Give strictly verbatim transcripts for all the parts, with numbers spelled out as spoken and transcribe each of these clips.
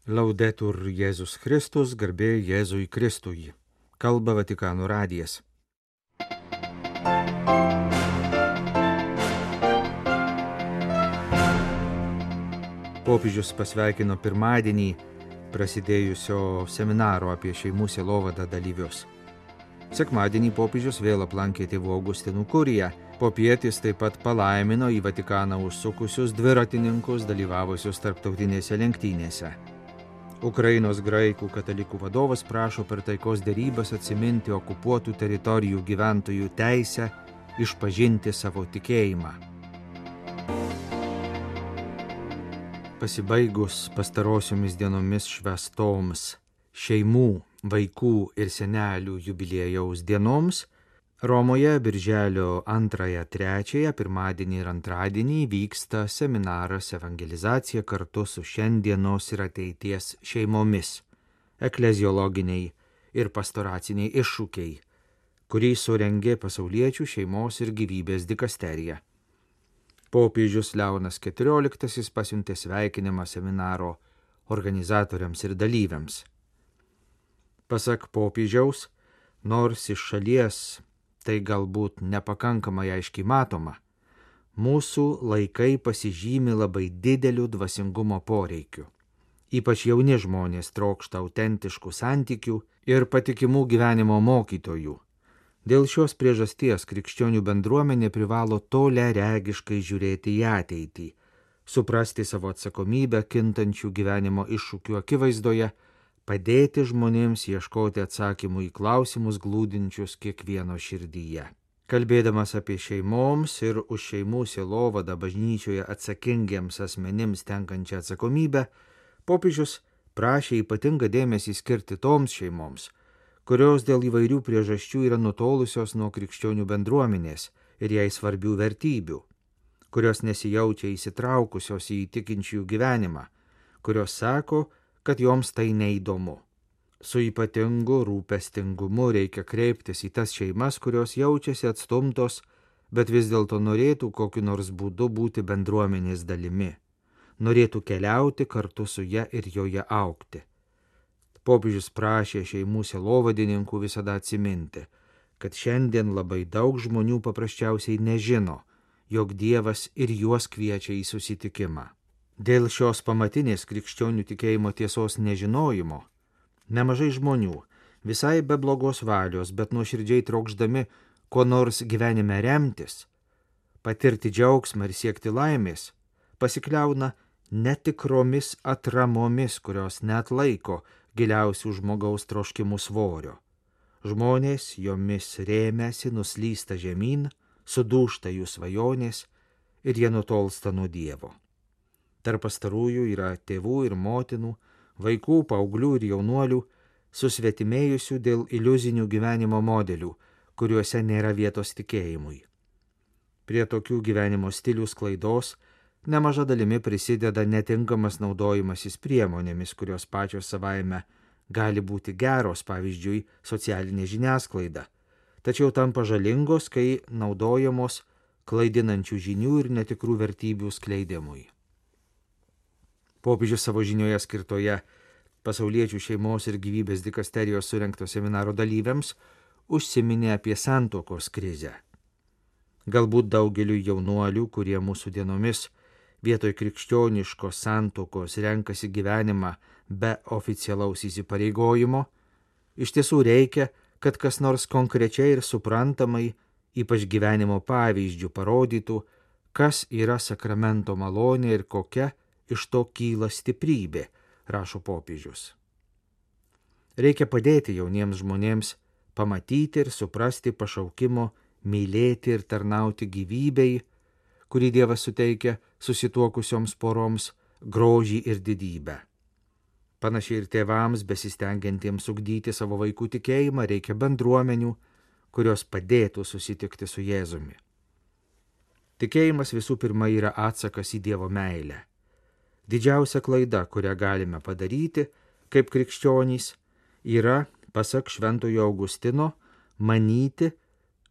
Laudetur Jėzus Kristus, garbė Jėzui Kristui. Kalba Vatikano radijas. Popiežius pasveikino pirmadienį prasidėjusio seminaro apie šeimų sielovadą dalyvius. Sekmadienį popiežius vėl aplankė tėvų Augustinų kuriją. Popietis taip pat palaimino į Vatikaną užsukusius dviratininkus dalyvavusius tarptautinėse lenktynėse. Ukrainos graikų katalikų vadovas prašo per taikos derybas atsiminti okupuotų teritorijų gyventojų teisę išpažinti savo tikėjimą. Pasibaigus pastarosiomis dienomis švęstoms šeimų, vaikų ir senelių jubiliejaus dienoms, Romoje birželio antrąją, trečiąją, pirmadienį ir antradienį vyksta seminaras Evangelizacija kartu su šiandienos ir ateities šeimomis, ekleziologiniai ir pastoraciniai iššūkiai, kurį surengė Pasauliečių šeimos ir gyvybės dikasterija. Popiežius Leonas keturioliktasis pasiuntė sveikinimą seminaro organizatoriams ir dalyviams. Pasak popiežiaus, nors iš šalies tai galbūt nepakankamai aiškiai matoma, mūsų laikai pasižymi labai dideliu dvasingumo poreikiu. Ypač jauni žmonės trokšta autentiškų santykių ir patikimų gyvenimo mokytojų. Dėl šios priežasties krikščionių bendruomenė privalo toliaregiškai žiūrėti į ateitį, suprasti savo atsakomybę kintančių gyvenimo iššūkių akivaizdoje, padėti žmonėms ieškoti atsakymų į klausimus glūdinčius kiekvieno širdyje. Kalbėdamas apie šeimoms ir už šeimų sielovadą bažnyčioje atsakingiems asmenims tenkančią atsakomybę, popiežius prašė ypatingą dėmesį skirti toms šeimoms, kurios dėl įvairių priežasčių yra nutolusios nuo krikščionių bendruomenės ir jai svarbių vertybių, kurios nesijaučia įsitraukusios į tikinčiųjų gyvenimą, kurios sako, kad joms tai neįdomu. Su ypatingu rūpestingumu reikia kreiptis į tas šeimas, kurios jaučiasi atstumtos, bet vis dėlto norėtų kokiu nors būdu būti bendruomenės dalimi, norėtų keliauti kartu su ja ir joje augti. Popiežius prašė šeimų sielovadininkų visada atsiminti, kad šiandien labai daug žmonių paprasčiausiai nežino, jog Dievas ir juos kviečia į susitikimą. Dėl šios pamatinės krikščionių tikėjimo tiesos nežinojimo, nemažai žmonių, visai be blogos valios, bet nuoširdžiai trokšdami ko nors gyvenime remtis, patirti džiaugsmą ir siekti laimės, pasikliauna netikromis atramomis, kurios neatlaiko giliausių žmogaus troškimų svorio. Žmonės jomis rėmėsi, nuslysta žemyn, sudūžta jų svajonės ir jie nutolsta nuo Dievo. Tarp pastarųjų yra tėvų ir motinų, vaikų, paauglių ir jaunuolių, susvetimėjusių dėl iliuzinių gyvenimo modelių, kuriuose nėra vietos tikėjimui. Prie tokių gyvenimo stilių sklaidos nemaža dalimi prisideda netinkamas naudojimasis priemonėmis, kurios pačios savaime gali būti geros, pavyzdžiui, socialinė žiniasklaida, tačiau tampa žalingos, kai naudojamos klaidinančių žinių ir netikrų vertybių skleidimui. Popiežius savo žinioje skirtoje Pasauliečių šeimos ir gyvybės dikasterijos surengto seminaro dalyviams užsiminė apie santuokos krizę. Galbūt daugeliu jaunuolių, kurie mūsų dienomis vietoj krikščioniškos santuokos renkasi gyvenimą be oficialaus įsipareigojimo, iš tiesų reikia, kad kas nors konkrečiai ir suprantamai, ypač gyvenimo pavyzdžių parodytų, kas yra sakramento malonė ir kokia iš to kyla stiprybė, rašo popiežius. Reikia padėti jauniems žmonėms pamatyti ir suprasti pašaukimo mylėti ir tarnauti gyvybei, kurį Dievas suteikia susituokusioms poroms grožį ir didybę. Panašiai ir tėvams besistengiantiems ugdyti savo vaikų tikėjimą reikia bendruomenių, kurios padėtų susitikti su Jėzumi. Tikėjimas visų pirma yra atsakas į Dievo meilę. Didžiausia klaida, kurią galime padaryti, kaip krikščionys, yra, pasak Šventojo Augustino, manyti,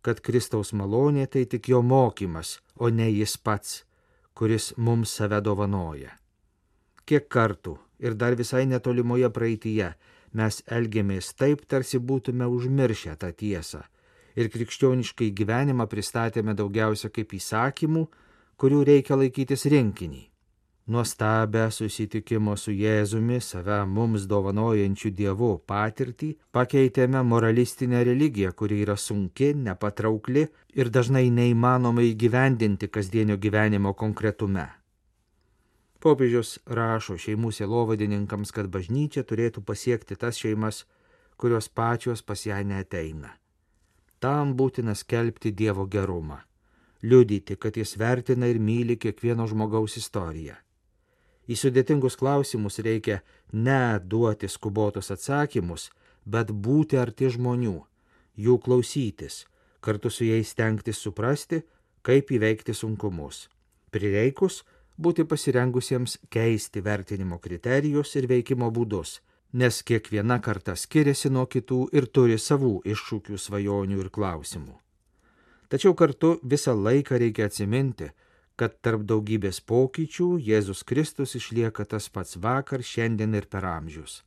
kad Kristaus malonė tai tik jo mokymas, o ne jis pats, kuris mums save dovanoja. Kiek kartų ir dar visai netolimoje praeityje mes elgiamės taip, tarsi būtume užmiršę tą tiesą. Ir krikščioniškai gyvenimą pristatėme daugiausia kaip įsakymų, kurių reikia laikytis rinkinį. Nuostabę susitikimo su Jėzumi, save mums dovanojančių Dievu patirtį pakeitėme moralistinę religiją, kuri yra sunki, nepatraukli ir dažnai neįmanoma įgyvendinti kasdienio gyvenimo konkretume. Popiežius rašo šeimų sielovadininkams, kad bažnyčia turėtų pasiekti tas šeimas, kurios pačios pas ją neateina. Tam būtina skelbti Dievo gerumą, liudyti, kad jis vertina ir myli kiekvieno žmogaus istoriją. Į sudėtingus klausimus reikia ne duoti skubotus atsakymus, bet būti arti žmonių, jų klausytis, kartu su jais stengtis suprasti, kaip įveikti sunkumus. Prireikus būti pasirengusiems keisti vertinimo kriterijus ir veikimo būdus, nes kiekviena karta skiriasi nuo kitų ir turi savų iššūkių, svajonių ir klausimų. Tačiau kartu visą laiką reikia atsiminti, kad tarp daugybės pokyčių Jėzus Kristus išlieka tas pats vakar, šiandien ir per amžius.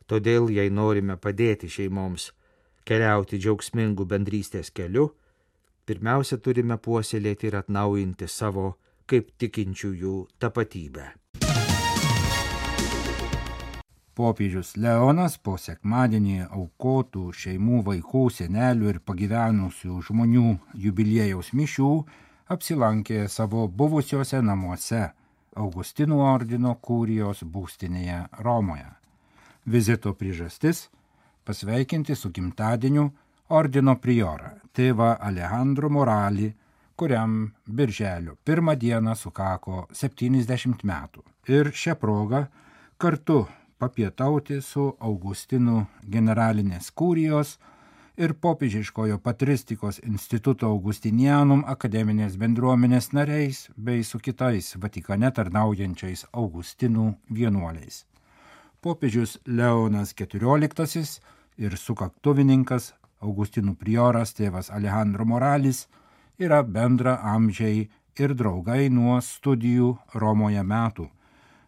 Todėl, jei norime padėti šeimoms keliauti džiaugsmingų bendrystės keliu, pirmiausia turime puoselėti ir atnaujinti savo kaip tikinčiųjų tapatybę. Popiežius Leonas po sekmadienį aukotų šeimų, vaikų, senelių ir pagyvenusių žmonių jubiliejaus mišių apsilankė savo buvusiuose namuose Augustinų ordino kurijos būstinėje Romoje. Vizito priežastis – pasveikinti su gimtadieniu ordino priorą, tėvą Alejandro Moralį, kuriam birželio pirmą dieną sukako septyniasdešimt metų. Ir šią progą kartu papietauti su Augustinų generalinės kurijos ir popiežiškojo patristikos instituto Augustinianum akademinės bendruomenės nariais bei su kitais Vatikane tarnaujančiais Augustinų vienuoliais. Popiežius Leonas keturioliktasis ir sukaktuvininkas Augustinų prioras tėvas Alejandro Moralis yra bendra amžiai ir draugai nuo studijų Romoje metų.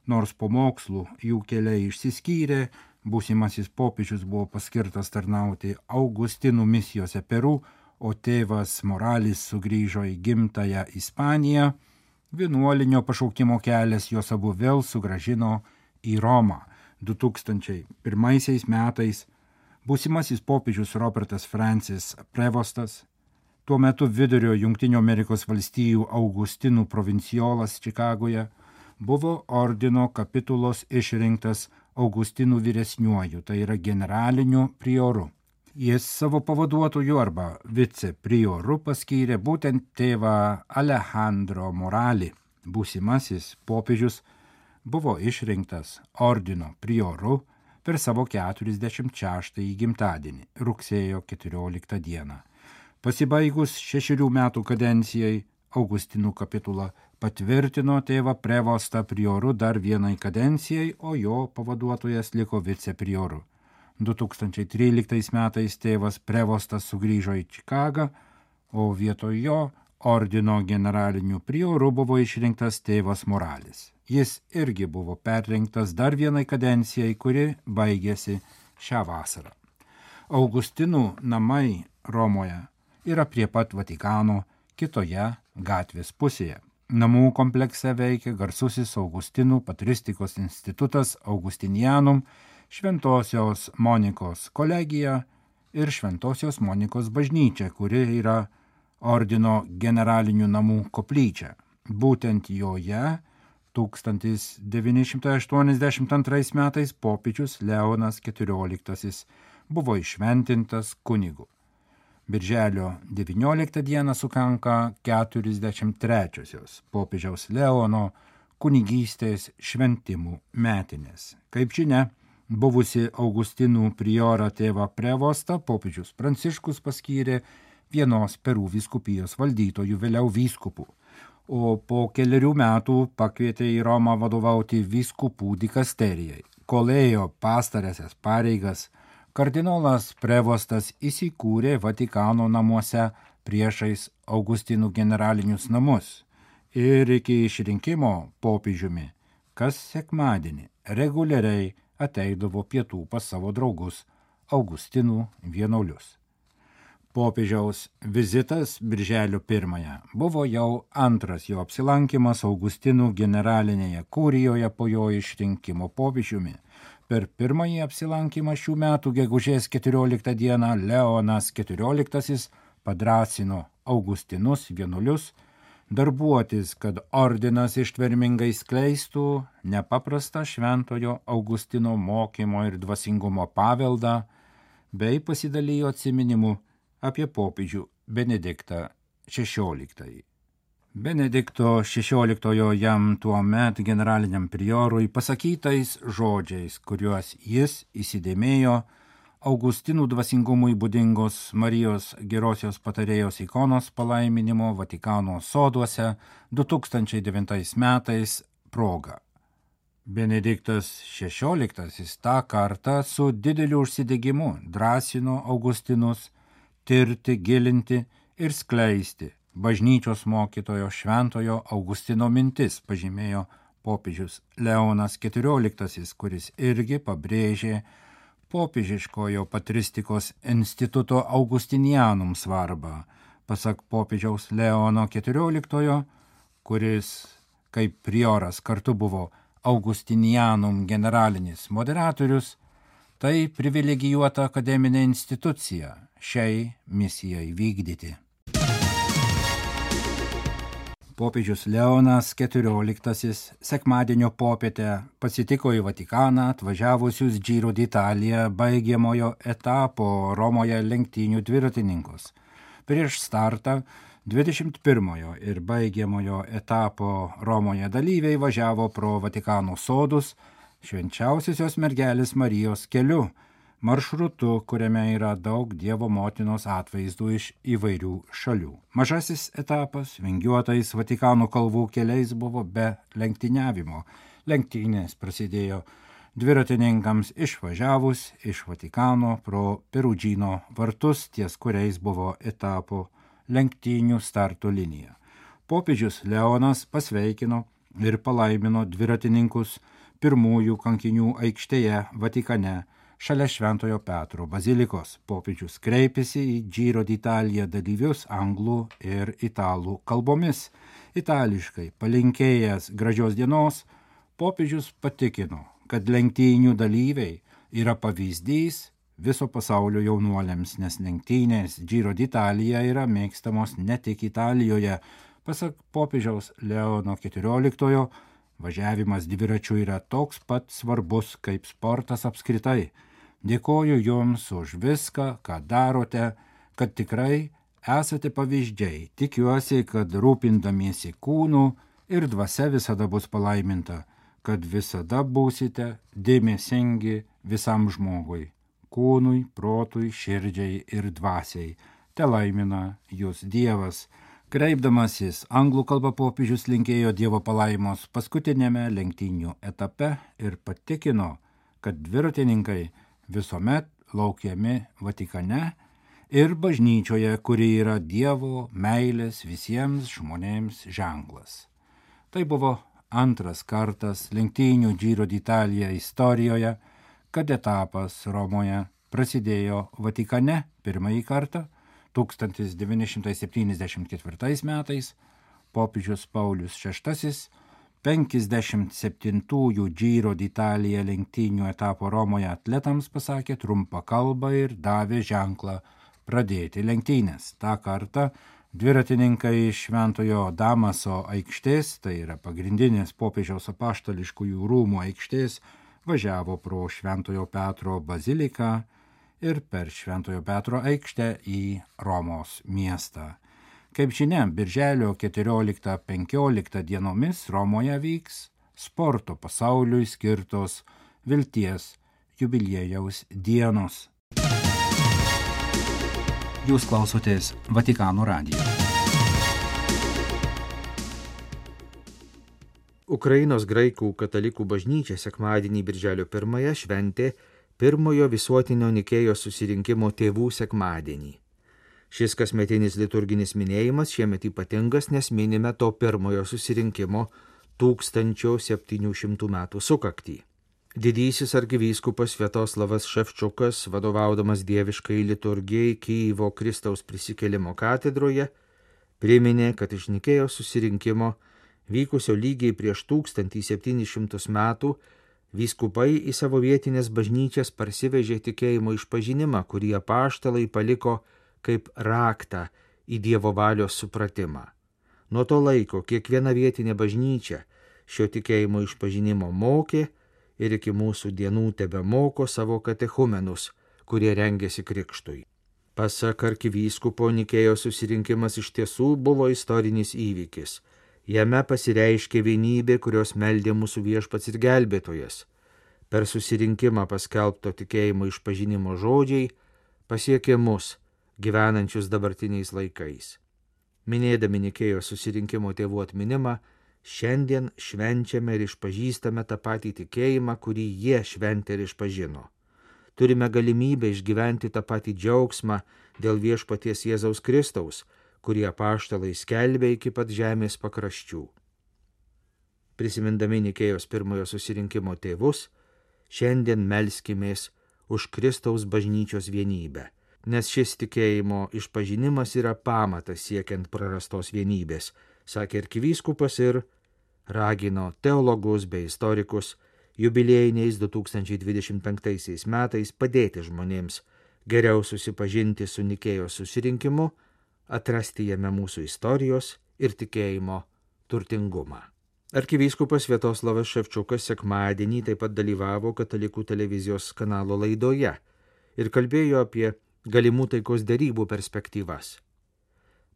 Nors po mokslų jų keliai išsiskyrė, būsimasis popiežius buvo paskirtas tarnauti Augustinų misijose Peru, o tėvas Moralis sugrįžo į gimtąją Ispaniją, vienuolinio pašaukimo kelias juos abu vėl sugrąžino į Romą. du tūkstančiai pirmaisiais metais būsimasis popiežius Robertas Francis Prevostas, tuo metu vidurio Jungtinių Amerikos valstijų Augustinų provinciolas Čikagoje, buvo ordino kapitulos išrinktas Augustinų vyresniuoju, tai yra generaliniu prioru. Jis savo pavaduotoju arba viceprioru paskyrė būtent tėvą Alejandro Moralį. Būsimasis popiežius buvo išrinktas ordino prioru per savo keturiasdešimt šeštąjį gimtadienį, rugsėjo keturioliktą dieną. Pasibaigus šešerių metų kadencijai, Augustinų kapitula patvirtino tėvą Prevostą prioru dar vienai kadencijai, o jo pavaduotojas liko viceprioru. du tūkstančiai tryliktais metais tėvas Prevostas sugrįžo į Čikagą, o vietoj jo ordino generaliniu prioru buvo išrinktas tėvas Moralis. Jis irgi buvo perrinktas dar vienai kadencijai, kuri baigėsi šią vasarą. Augustinų namai Romoje yra prie pat Vatikano kitoje gatvės pusėje. Namų komplekse veikia garsusis Augustinų patristikos institutas Augustinianum, Šventosios Monikos kolegija ir Šventosios Monikos bažnyčia, kuri yra ordino generalinių namų koplyčia. Būtent joje tūkstantis devyni šimtai aštuoniasdešimt antrais metais popiežius Leonas keturioliktasis buvo iššventintas kunigu. Birželio devynioliktą dieną sukanka keturiasdešimt trečiosios popiežiaus Leono kunigystės šventimų metinės. Kaip žinia, buvusi Augustinų priorą tėvą Prevostą popiežius Pranciškus paskyrė vienos Perų vyskupijos valdytojų, vėliau vyskupų, o po keliarių metų pakvietė į Romą vadovauti vyskupų dikasterijai. Kol ėjo pastarąsias pareigas, kardinolas Prevostas įsikūrė Vatikano namuose priešais Augustinų generalinius namus ir iki išrinkimo popiežiumi kas sekmadienį reguliariai ateidavo pietų pas savo draugus Augustinų vienuolius. Popiežiaus vizitas birželio pirmąją buvo jau antras jo apsilankimas Augustinų generalinėje kurijoje po jo išrinkimo popiežiumi. Per pirmąjį apsilankymą šių metų gegužės keturioliktą dieną Leonas keturioliktasis padrasino Augustinus vienuolius darbuotis, kad ordinas ištvermingai skleistų nepaprastą šventojo Augustino mokymo ir dvasingumo paveldą, bei pasidalijo atsiminimu apie popiežių Benediktą šešioliktąjį. Benedikto šešioliktojo jam tuomet generaliniam priorui pasakytais žodžiais, kuriuos jis įsidėmėjo Augustinų dvasingumui būdingos Marijos gerosios patarėjos ikonos palaiminimo Vatikano soduose du tūkstančiai devintais metais proga. Benediktas šešioliktasis tą kartą su dideliu užsidegimu drąsino Augustinus tirti, gilinti ir skleisti bažnyčios mokytojo šventojo Augustino mintis, pažymėjo popiežius Leonas keturioliktasis, kuris irgi pabrėžė popiežiškojo patristikos instituto Augustinianum svarbą. Pasak popiežiaus Leono keturioliktojo, kuris kaip prioras kartu buvo Augustinianum generalinis moderatorius, tai privilegijuota akademinė institucija šiai misijai vykdyti. Popiežius Leonas keturioliktasis sekmadienio popietę pasitiko į Vatikaną atvažiavusius Giro d'Italia baigiamojo etapo Romoje lenktynių dviratininkus. Prieš startą dvidešimt pirmojo ir baigiamojo etapo Romoje dalyviai važiavo pro Vatikano sodus švenčiausiosios mergelės Marijos keliu, maršrutu, kuriame yra daug Dievo motinos atvaizdų iš įvairių šalių. Mažasis etapas vingiuotais Vatikano kalvų keliais buvo be lenktyniavimo. Lenktynės prasidėjo dviratininkams išvažiavus iš Vatikano pro Perudžino vartus, ties kuriais buvo etapo lenktynių starto linija. Popiežius Leonas pasveikino ir palaimino dviratininkus pirmųjų kankinių aikštėje Vatikane, šalia Šventojo Petro bazilikos. Popiežius kreipėsi į Giro d'Italia dalyvius anglų ir italų kalbomis. Itališkai palinkėjęs gražios dienos, popiežius patikino, kad lenktynių dalyviai yra pavyzdys viso pasaulio jaunuoliams, nes lenktynės Giro d'Italia yra mėgstamos ne tik Italijoje. Pasak popiežiaus Leono keturioliktojo, važiavimas dviračiu yra toks pat svarbus kaip sportas apskritai. Dėkoju Jums už viską, ką darote, kad tikrai esate pavyzdžiai. Tikiuosi, kad rūpindamiesi kūnu ir dvasia visada bus palaiminta, kad visada būsite dėmesingi visam žmogui, kūnui, protui, širdžiai ir dvasiai. Te laimina Jūs Dievas. Kreipdamasis anglų kalba popiežius linkėjo Dievo palaimos paskutinėme lenktynių etape ir patikino, kad dviratininkai visuomet laukiami Vatikane ir bažnyčioje, kuri yra Dievo meilės visiems žmonėms ženklas. Tai buvo antras kartas lenktynių Giro d'Italia istorijoje, kad etapas Romoje prasidėjo Vatikane pirmąjį kartą tūkstantis devyni šimtai septyniasdešimt ketvirtais metais. Popiežius Paulius šeštasis penkiasdešimt septintųjų Giro d'Italia lenktynių etapo Romoje atletams pasakė trumpą kalbą ir davė ženklą pradėti lenktynės. Ta kartą dviratininkai iš Šventojo Damaso aikštės, tai yra pagrindinės popiežiaus apaštališkųjų rūmų aikštės, važiavo pro Šventojo Petro baziliką ir per Šventojo Petro aikštę į Romos miestą. Kaip žinia, birželio keturioliktą penkioliktą dienomis Romoje vyks sporto pasauliui skirtos vilties jubiliejaus dienos. Jūs klausotės Vatikano radijo. Ukrainos graikų katalikų bažnyčia sekmadienį birželio pirmąją šventė pirmojo visuotinio Nikėjos susirinkimo tėvų sekmadienį. Šis kasmetinis liturginis minėjimas šiemet ypatingas, nes minime to pirmojo susirinkimo tūkstančio septynių šimtų metų sukaktį. Didysis arkivyskupas Sviatoslavas Ševčiukas, vadovaudamas dieviškai liturgijai Kyjivo Kristaus prisikėlimo katedroje, priminė, kad iš Nikėjos susirinkimo, vykusio lygiai prieš tūkstantį septynis šimtus metų, vyskupai į savo vietinės bažnyčias parsivežė tikėjimo išpažinimą, kurį apaštalai paliko kaip raktą į Dievo valios supratimą. Nuo to laiko kiekviena vietinė bažnyčia šio tikėjimo išpažinimo mokė ir iki mūsų dienų tebemoko savo katechumenus, kurie rengėsi krikštui. Pasak arkivyskupo, Nikėjos susirinkimas iš tiesų buvo istorinis įvykis. Jame pasireiškė vienybė, kurios meldė mūsų viešpats ir gelbėtojas. Per susirinkimą paskelbto tikėjimo išpažinimo žodžiai pasiekė mus, gyvenančius dabartiniais laikais. Minėdami Nikėjos susirinkimo tėvų atminimą, šiandien švenčiame ir išpažįstame tą patį tikėjimą, kurį jie šventė ir išpažino. Turime galimybę išgyventi tą patį džiaugsmą dėl viešpaties Jėzaus Kristaus, kurį apaštalai skelbė iki pat žemės pakraščių. Prisimindami Nikėjos pirmojo susirinkimo tėvus, šiandien melskimės už Kristaus bažnyčios vienybę, nes šis tikėjimo išpažinimas yra pamatas siekiant prarastos vienybės, sakė arkivyskupas ir ragino teologus bei istorikus jubiliejiniais du tūkstančiai dvidešimt penktaisiais metais padėti žmonėms geriau susipažinti su Nikėjos susirinkimu, atrasti jame mūsų istorijos ir tikėjimo turtingumą. Arkivyskupas Sviatoslavas Ševčiukas sekmadienį taip pat dalyvavo Katalikų televizijos kanalo laidoje ir kalbėjo apie galimų taikos derybų perspektyvas.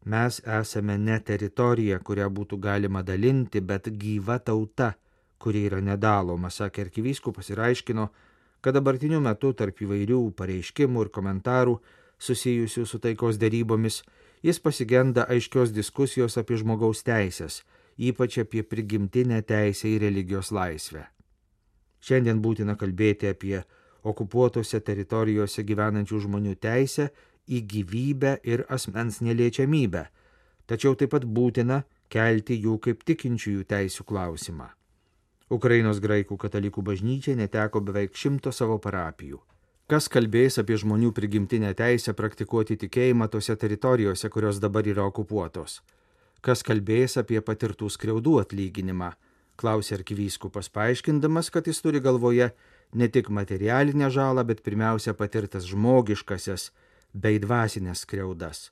Mes esame ne teritorija, kurią būtų galima dalinti, bet gyva tauta, kuri yra nedaloma, sakė arkivyskupas ir aiškino, kad dabartiniu metu tarp įvairių pareiškimų ir komentarų susijusių su taikos derybomis jis pasigenda aiškios diskusijos apie žmogaus teisės, ypač apie prigimtinę teisę į religijos laisvę. Šiandien būtina kalbėti apie okupuotose teritorijose gyvenančių žmonių teisę į gyvybę ir asmens neliečiamybę, tačiau taip pat būtina kelti jų kaip tikinčiųjų teisių klausimą. Ukrainos graikų katalikų bažnyčia neteko beveik šimto savo parapijų. Kas kalbės apie žmonių prigimtinę teisę praktikuoti tikėjimą tose teritorijose, kurios dabar yra okupuotos? Kas kalbės apie patirtų skriaudų atlyginimą? Klausė arkivyskupas, paaiškindamas, kad jis turi galvoje ne tik materialinę žalą, bet pirmiausia patirtas žmogiškasias bei dvasinės skriaudas.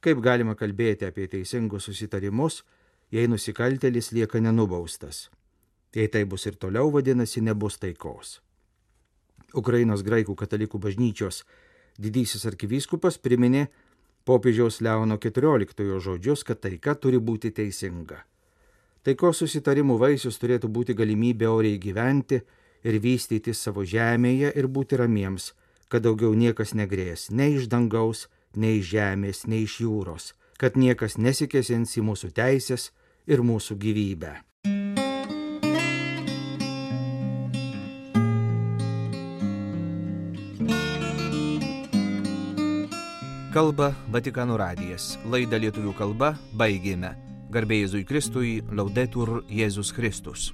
Kaip galima kalbėti apie teisingus susitarimus, jei nusikaltėlis lieka nenubaustas? Jei tai bus ir toliau, vadinasi, nebus taikos. Ukrainos graikų katalikų bažnyčios didysis arkivyskupas priminė popiežiaus Leono keturioliktojo žodžius, kad taika turi būti teisinga. Taikos susitarimų vaisius turėtų būti galimybė oriai gyventi ir vystyti savo žemėje ir būti ramiems, kad daugiau niekas negrės, nei iš dangaus, nei iš žemės, nei iš jūros, kad niekas nesikėsins į mūsų teisės ir mūsų gyvybę. Kalba Vatikano radijas. Laidą lietuvių kalba baigėme. Garbė Jėzui Kristui, Laudetur Jėzus Kristus.